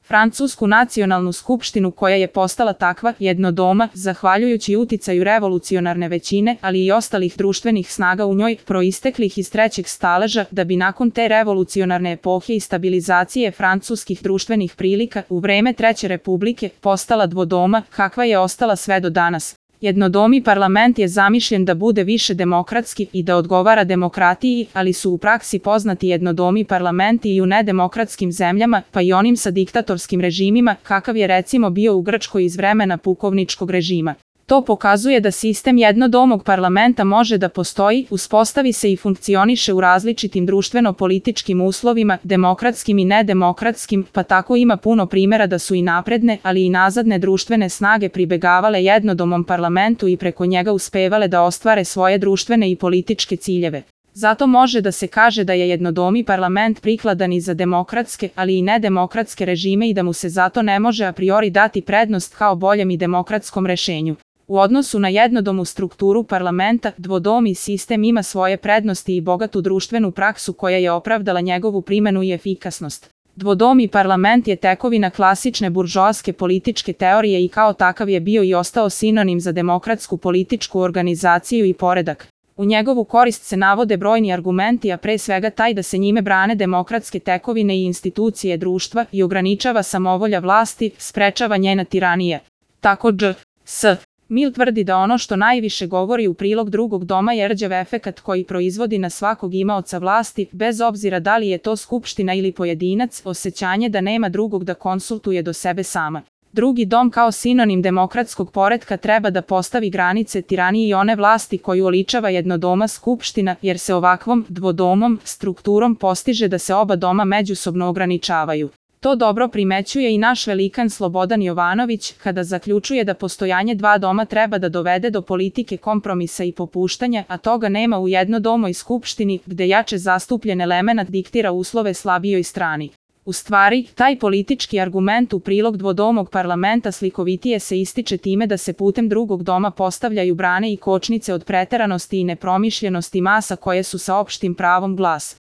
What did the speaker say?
Francusku nacionalnu skupštinu koja je postala takva jednodoma, zahvaljujući uticaju revolucionarne većine, ali i ostalih društvenih snaga u njoj, proisteklih iz trećeg staleža, da bi nakon te revolucionarne epohe i stabilizacije francuskih društvenih prilika u vreme Treće republike postala dvodoma, kakva je ostala sve do danas. Jednodomi parlament je zamišljen da bude više demokratski i da odgovara demokratiji, ali su u praksi poznati jednodomi parlamenti i u nedemokratskim zemljama, pa i onim sa diktatorskim režimima, kakav je recimo bio u Grčkoj iz vremena pukovničkog režima. To pokazuje da sistem jednodomog parlamenta može da postoji, uspostavi se i funkcioniše u različitim društveno-političkim uslovima, demokratskim i nedemokratskim, pa tako ima puno primjera da su i napredne, ali i nazadne društvene snage pribegavale jednodomom parlamentu i preko njega uspevale da ostvare svoje društvene i političke ciljeve. Zato može da se kaže da je jednodomi parlament prikladan i za demokratske, ali i nedemokratske režime i da mu se zato ne može a priori dati prednost kao boljem i demokratskom rešenju. U odnosu na jednodomu strukturu parlamenta, dvodomi sistem ima svoje prednosti i bogatu društvenu praksu koja je opravdala njegovu primenu i efikasnost. Dvodomi parlament je tekovina klasične buržoaske političke teorije i kao takav je bio i ostao sinonim za demokratsku političku organizaciju i poredak. U njegovu korist se navode brojni argumenti, a pre svega taj da se njime brane demokratske tekovine i institucije društva i ograničava samovolja vlasti, sprečava njena tiranija. Tako J.S. Mill tvrdi da ono što najviše govori u prilog drugog doma je rđav efekat koji proizvodi na svakog imaoca vlasti, bez obzira da li je to skupština ili pojedinac, osjećanje da nema drugog da konsultuje do sebe sama. Drugi dom kao sinonim demokratskog poretka treba da postavi granice tiraniji i one vlasti koju oličava jednodoma skupština, jer se ovakvom dvodomom strukturom postiže da se oba doma međusobno ograničavaju. To dobro primećuje i naš velikan Slobodan Jovanović, kada zaključuje da postojanje dva doma treba da dovede do politike kompromisa i popuštanja, a toga nema u jednodomoj skupštini, gde jače zastupljen elemenat diktira uslove slabijoj strani. U stvari, taj politički argument u prilog dvodomog parlamenta slikovitije se ističe time da se putem drugog doma postavljaju brane i kočnice od preteranosti i nepromišljenosti masa koje su sa opštim pravom glas.